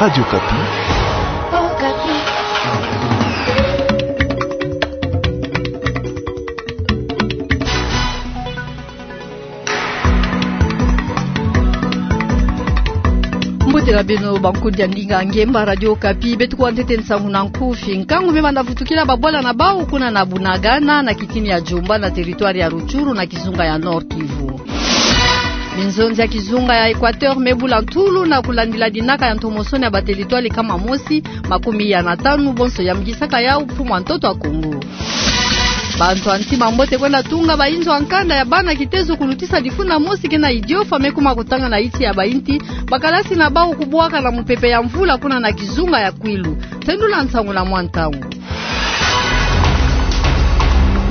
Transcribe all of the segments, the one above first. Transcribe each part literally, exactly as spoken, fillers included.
Radio Okapi. Mbote na beno, bankundi ya ndinga ngemba Radio Okapi, beto kuwa ntete nsangu na nkufi. Nkangu me banda vutukila babwala na bau kuna na Bunagana, na kitini ya Djomba, na territoire ya Rutshuru, na kizunga ya Nord-Kivu. Minzonzi ya kizunga ya Equateur me bula ntulu na kulandila dinaka ya ntomosono ya bateritware nkama mosi makumi iya na tanu, bonso yamgisaka yau mfumu ya ntoto ya Kongo. Bantu ya ntima mbote kwenda tunga bainzo ya nkanda ya bana kitezo kulutisa difuna mosi ke na Idiofa me kuma kutanga na insi ya bainti, bakalasi na bau kubwaka na mupepe ya mvula kuna na kizunga ya Kwilu. Tendula nsangu na mwa ntangu.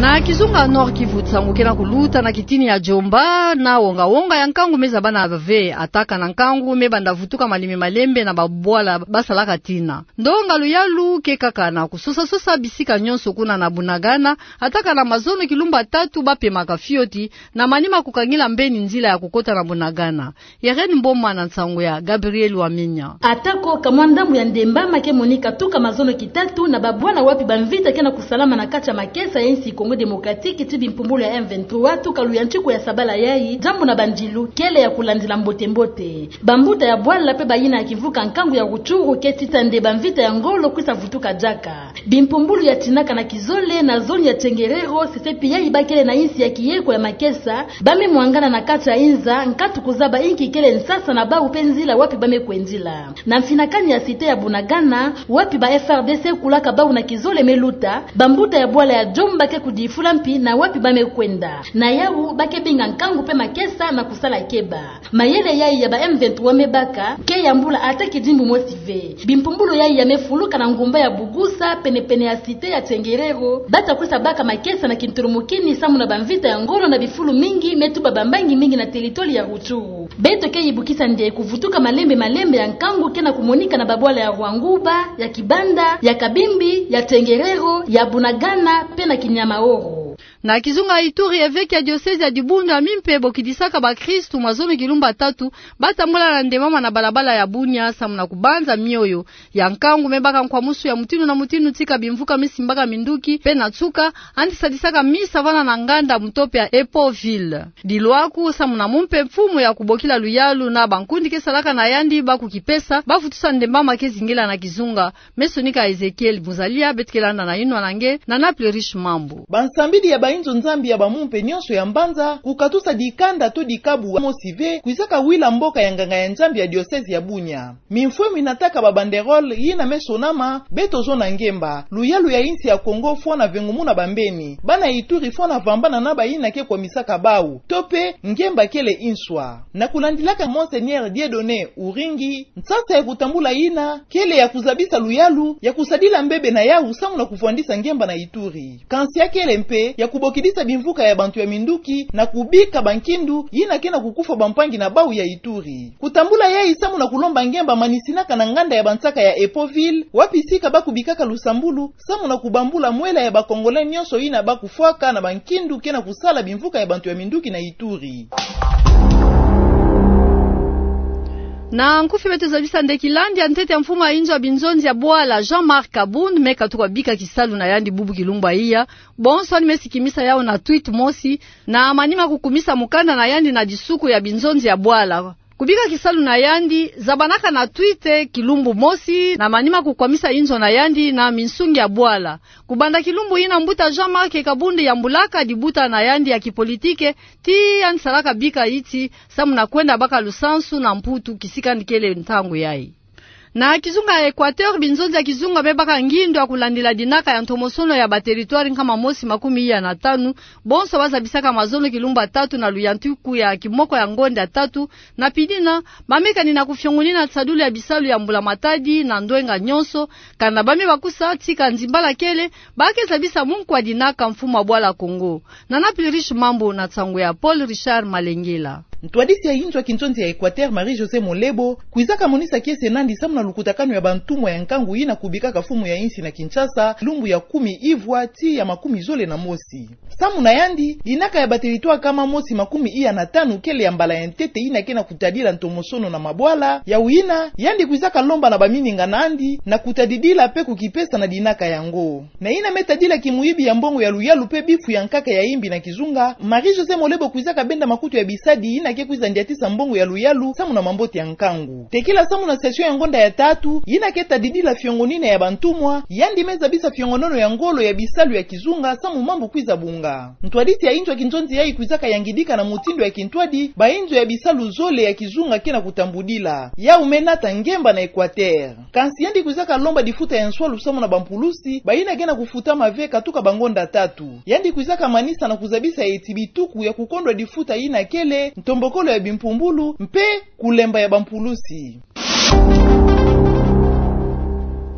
Na kizunga Nord-Kivu, nsangu ke na kuluta na kitini ya Djomba, na wonga-wonga ya nkangu me zabana ve, ataka na nkangu me banda vutuka malembe-malembe na babwala basalaka tina. Ndonga luyalu ke kaka na kusosa-sosa bisika nyonso kuna na Bunagana, ataka na mazono kilumbu tatu bapemaka fioti, na manima kukangila mbeni nzila ya kukota na Bunagana. Irène Mboma na nsangu ya Gabriel Wamenya. Atako kamwa ndambu ya ndemba ma ke monika tuka mazono kitatu na babwana wapi bamvita ke na kusalama na kati ya makesa ya insi Congo Démocratique ti bimpumbulu ya M vingt-trois tuka luyantiku ya sabala yayi, diambu na bandilu kele ya kulandila mbote-mbote. Bambuta ya bwala pe bayina ya kimvuka nkangu ya Rutshuru ke tita nde bamvita ya ngolo kwisa vutuka diaka. Bimpumbulu ya tinaka na kizole na zone ya Tchenguerero, sesepi yayi bakele na insi ya kiyeko ya makesa, ba me mwangana na kati ya inza, nkatu kuzaba inki kele nsasa na bau pe nzila wapi ba me kwendila. Na mfinakani ya cité ya Bunagana, wapi ba F R D C kulaka bau na kizole me luta, bambuta ya bwala ya Djomba ke kudifula mpi na wapi ba me kwenda. Na yau, ba ke binga nkangu pe makesa na kusala keba. Mayele yayi ya ba M vingt-trois me baka, ke yambula ata kidimbu mosi ve. Bimpumbulu yayi ya me fuluka na ngumba ya Bugusa, pene-pene ya cité ya Tchenguerero, bata kwisa baka makesa na kinturumukini samu na bamvita ya ngolo na bifulu mingi me tuba bambangi mingi na territoire ya Rutshuru. Beto ke yibukisa nde kuvutuka malembe-malembe ya nkangu ke na kumonika na babwala ya Rwanguba, ya Kibanda, ya Kabimbi, ya Tchenguerero, ya Bunagana, pe na Kinyamaoro. Na kizunga Ituri, evêque ya diocèse ya Dibundu ya mimpe bokidisaka bakristu mazono kilumbu tatu batambula na ndemama na balabala ya Bunia samu na kubanza mioyo. Ya nkangu me baka nkwamusu ya mutinu na mutinu tika bimvuka me simbaka minduki, pe na nsuka, yandi sadisaka misa vana na nganda mutope ya Epo Ville. Dilwaku samu na mumpe mfumu ya kubokila luyalu na bankundi ke salaka na yandi ba kukipesa, ba vutusa ndemama ke zingila na kizunga. Me sonika Ezekiel Muzalia, beto ke landa na yinwa na nge, na Naples Riche Mambu. Bansambidi ya bainzo Nzambi ya bamumpe nyonso ya mbanza, kukatusa dikanda to dikabu mosi ve, kwizaka wila mboka ya nganga ya Nzambi ya diocèse ya Bunia. Mimfwemu inataka ba banderole, yina me sonama, beto zona ngemba, luyalu ya insi ya Kongo fwana vengumuna bambeni, bana Ituri fwana vambana na bayina ke kwamisaka bau, to pe, ngemba kele inswa. Na kulandilaka Monseigneur Dieudonné Uringi, nsasa ya kutambula yina, kele ya kuzabisa luyalu, ya kusadila mbebe na yau samu na kuvwandisa ngemba na Ituri. Kansi ya kele mpe, ya kubokidisa bimvuka ya bantu ya minduki, na kubika bankindu, yina ke na kukufwa bampangi na bau ya Ituri. Kutambula yayi samu na kulomba ngemba manisinaka na nganda ya bansaka ya Epo Ville, wapi sika ba kubikaka lusambulu, samu na kubambula mwela ya ba Congolais nyonso yina ba kufwaka na bankindu ke na kusala bimvuka ya bantu ya minduki na Ituri. Na nkufi beto zabisa nde kilandi ya ntete ya mfumu ya inzo ya binzonzi ya bwala Jean-Marc Kabund me katuka bika kisalu na yandi bubu kilumbu ya iya, bonso yandi me sikimisa yau na tweet mosi, na manima kukumisa mukanda na yandi na disuku ya binzonzi ya bwala. Kubika kisalu na yandi, zabanaka na tweet kilumbu mosi, na manima kukwamisa inzo na yandi na minsungi ya bwala. Kubanda kilumbu yina mbuta Jean-Marc Kabund yambulaka dibuta na yandi ya kipolitike, ti yandi salaka bika iti, samu na kwenda baka lusansu na Mputu kisika yandi kele ntangu yayi. Na kizunga ya Equateur, binzonzi ya kizunga me baka ngindo ya kulandila dinaka ya ntomosono ya ba territoire nkama mosi makumi iya na tanu, bonso ba zabisaka mazono kilumbu tatu na luyantiku ya kimoko ya ngonda tatu, na pidina, ba me kanina kufiongunina nsadulu ya bisalu ya mbula matadi na ndwenga nyonso, kana ba me bakusa tika nzimbala kele, ba ke zabisa munkwa dinaka mfumu ya bwala Kongo. Na Naples Riche Mambu na nsangu ya Paul Richard Malengela. Ntwadisi ya inzo ya kinzonzi ya Equateur, Marie-Josée Molebo, kwizaka monisa kiese nandi samu na lukutakanu ya bantumwa ya nkangu yina kubikaka mfumu ya insi na Kinshasa, lumbu ya kumi ivwa tii ya makumi zole na mosi. Samu na yandi, dinaka ya bateritware kama mosi makumi iya na tanu kele ya mbala ya ntete yina ke na kutadila ntomosono na mabwala, ya wina, yandi kwizaka lomba na bamininga nandi, na kutadidila pe kukipesa na dinaka yango. Na yina me tadila kimuyibi ya mbongo ya luyalu pe bifu ya nkaka ya imbi na kizunga, Marie-Josée Molebo kwizaka benda makutu ya bisadi yina ke kwiza ndiatisa mbongo ya luyalu samu na mambote ya nkangu. Tekila samu na session ya ngonda ya tatu, yina ke tadidila fiongo nina ya bantumwa, yandi me zabisa fiongo nono ya ngolo ya bisalu ya kizunga samu mambu kwiza bunga. Ntwadisi ya inzo ya kinzonzi yayi kwizaka yangidika na mutindu ya kintwadi, ba inzo ya bisalu zole ya kizunga ke na kutambudila. Yau me nata ngemba na Equateur. Kansi yandi kwizaka lomba difuta ya nswalu samu na bampulusi, bayina ke na kufutama ve katuka bangonda tatu. Yandi kwizaka manisa na kuzabisa eti bituku ya kukondwa difuta yina kele, ntombokolo ya bimpumbulu, mpe kulemba ya bampulusi.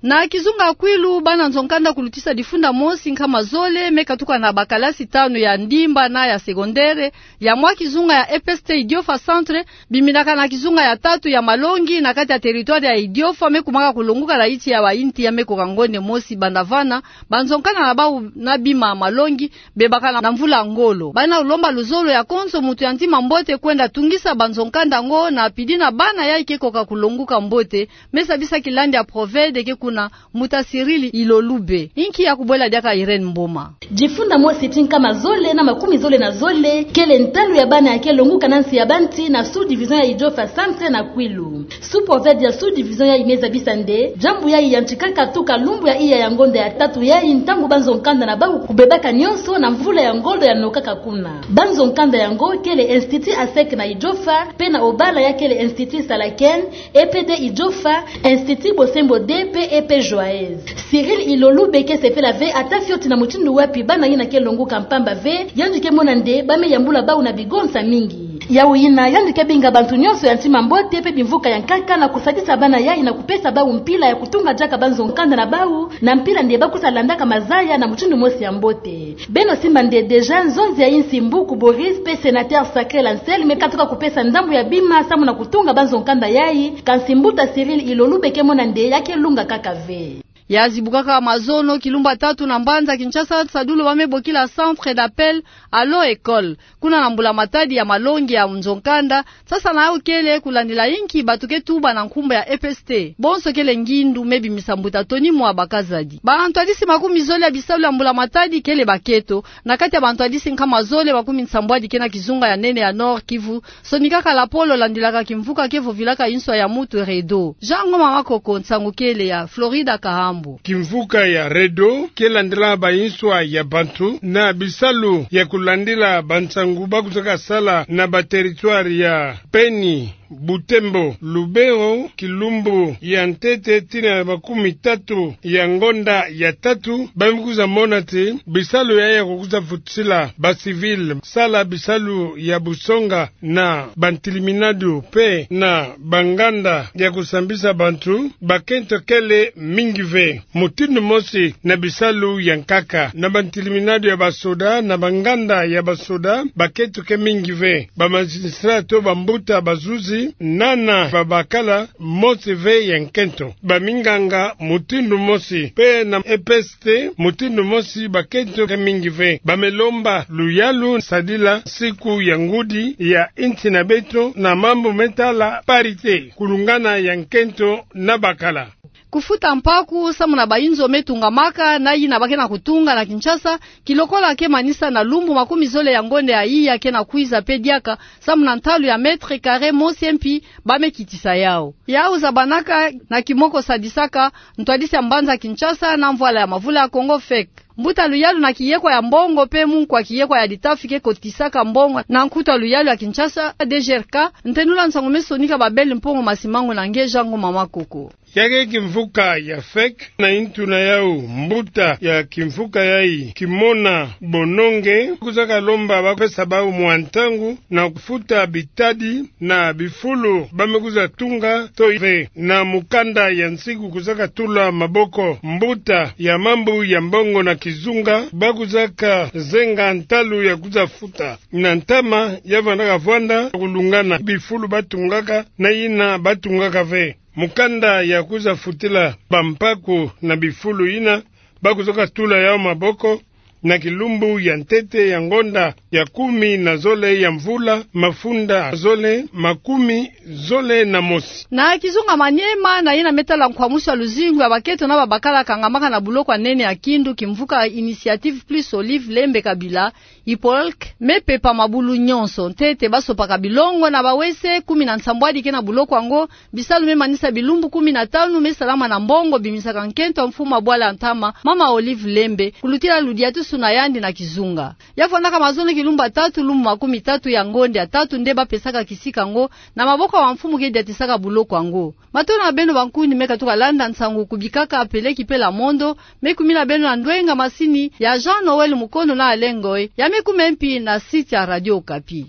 Na kizunga Kwilu, bana nzo-nkanda kulutisa difunda mosi nkama zole, me katuka na bakalasi tanu ya ndimba na ya secondaire, ya mwa kizunga ya E P S T Idiofa Centre, biminaka na kizunga ya tatu ya Malongi na kati ya territoire ya Idiofa, me kumaka kulonguka na iti ya bainti ya me koka ngonde mosi banda vana, banzo-nkanda na bau na bima Malongi, bebaka na, na mvula ngolo. Bana lomba luzolo ya konso mutu ya ntima mbote kwenda tungisa banzo-nkanda ngo na pidi na bana yayi ke koka kulonguka mbote, me zabisa kilandi ya Proved ke kuna mbuta Cyril Ilolube. Inki ya kubwela diaka Irène Mboma. Difunda mosi tii nkama zole na makumi zole na zole, kele ntalu ya bana ya ke longuka na nsi ya banti na sous-division ya Idiofa Centre na Kwilu. Sous-Proved ya sous-division yayi me zabisa nde, diambu yayi yantikaka tuka lumbu ya iya ya ngonda ya tatu yayi ntangu banzo-nkanda na bau kubebaka nionso na mvula ya ngolo ya nokaka kuna. Banzo-nkanda yango kele Institut ASEC na Idiofa, pe na Obala ya kele Institut Salaken, E P D Idiofa, Institut Bosembo deux pe E P Joyeuse. Cyril Ilolube ke sepela ve ata fioti na mutindu wapi bana yina ke longuka mpamba ve, yandi ke mona nde ba me yambula bau na bigonsa mingi. Yau yina, yandi ke binga bantu nionso ya ntima mbote pe bimvuka ya nkaka na kusadisa bana yayi na kupesa bau mpila ya kutunga diaka banzo-nkanda na bau, na mpila nde ba kwiza landaka mazaya na mutindu mosi ya mbote. Beno simba nde déjà nzonzi ya insi Mbuku Boris pe sénateur Sacré Lancel me katuka kupesa ndambu ya bima samu na kutunga banzo-nkanda yayi, kansi mbuta Cyril Ilolube ke mona nde ya ke lunga kaka ve. Ya zibukaka mazono kilumbu tatu na mbanza Kinshasa, sadulu ba me bokila Centre d'Appel Allo École, kuna na mbula-matadi ya Malongi ya nzo-nkanda, sasa na yau kele kulandila inki batu ke tuba na nkumbu ya E P S T. Bonso kele ngindu me bimisa mbuta Tony Mwaba Kazadi. Bantwadisi makumi zole ya bisalu ya mbula-matadi kele bakento, na kati ya bantwadisi nkama zole makumi nsambwadi ke na kizunga ya nene ya Nord-Kivu, sonikaka lapolo landilaka kimvuka ke vovilaka inswa ya mutu REDO. Jean Ngoma Makoko, nsangu kele ya Florida Kahambo. Kimvuka ya REDO ke landila ba inswa ya bantu na bisalu ya kulandila bansangu ba kuzaka sala na ba territoire ya Beni, Butembo, Lubero, kilumbu ya ntete tii na makumi tatu ya ngonda ya tatu, ba me kwiza mona ti bisalu yayi ya kukwiza futisila ba civil sala bisalu ya busonga na bantiliminado pe na banganda ya kusambisa bantu, bakento kele mingi ve. Mutindu mosi na bisalu ya nkaka, na bantiliminado ya basoda, na banganda ya basoda, bakento ke mingi ve. Ba magistrat to bambuta bazuzi, na na babakala, mosi ve ya nkento. Baminganga mutindu mosi, pe na E P S T mutindu mosi, bakento ke mingi ve. Ba me lomba luyalu sadila siku ya ngudi ya insi na beto na mambu me tala parité, kulungana ya nkento na bakala. Kufuta mpaku samu na ba inzo me tungamaka na yina ba ke na kutunga na Kinshasa, kilokola ke manisa na lumbu makumi zole ya ngonda ya iya ke na kwiza pe diaka, samu na ntalu ya mètre carré mosi mpi ba me kitisa yau. Yau zabanaka na kimoko sadisaka ntwadisi ya mbanza Kinshasa na mvwala ya mavula ya Kongo fek. Mbuta luyalu na kiyekwa ya mbongo pe munkwa kiyekwa ya litafi ke kotisaka mbongo na nkutu ya luyalu ya Kinshasa, D G R K, ntenula nsangu me sonika ba Bell Mpongo Masimango na nge Jean Ngoma Makoko. Yake kimvuka ya fek na intu na yau mbuta ya kimvuka yai Kimona Bononge kuzaka lomba ba pesa bau mwa ntangu na kufuta bitadi na bifulu ba me kuza tunga to ve. Na mukanda ya nsiku kuzaka tula maboko mbuta ya mambu ya mbongo na kizunga ba kuzaka zenga ntalu ya kuza futa na ntama ya vandaka vwanda kulungana bifulu ba tungaka na yina ba tungaka ve. Mukanda ya kuza futila bampaku na bifulu yina ba kuzaka tula yau maboko na kilumbu ya ntete ya ngonda ya kumi na zole ya mvula mafunda zole makumi zole na mosi. Na kizunga Maniema, na yina me tala nkwamusu ya luzingu ya bakento na babakala kangamaka na buloko ya nene ya Kindu, kimvuka Initiative Plus Olive Lembe Kabila, Ipolk, me pepa mabulu nyonso ntete ba sopaka bilongo na bawese kumi na nsambwadi ke na buloko yango. Bisalu me manisa bilumbu kumi na tanu, me salama na mbongo bimisaka nkento ya mfumu ya bwala ya ntama, mama Olive Lembe, kulutila ludiatusu na yandi na kizunga. Ya vwandaka mazono kilumbu ya tatu, lumbu makumi tatu ya ngonda ya tatu nde ba pesaka kisika yango na maboko ya bamfumu ke diatisaka buloko yango. Matondo na beno bankuni me katuka landa nsangu ku bikaka peleki pe la mondo. Me kumina beno na ndwenga masini ya Jean Noël Mukono na Alengoi, ya me kume mpi na site ya Radio Okapi.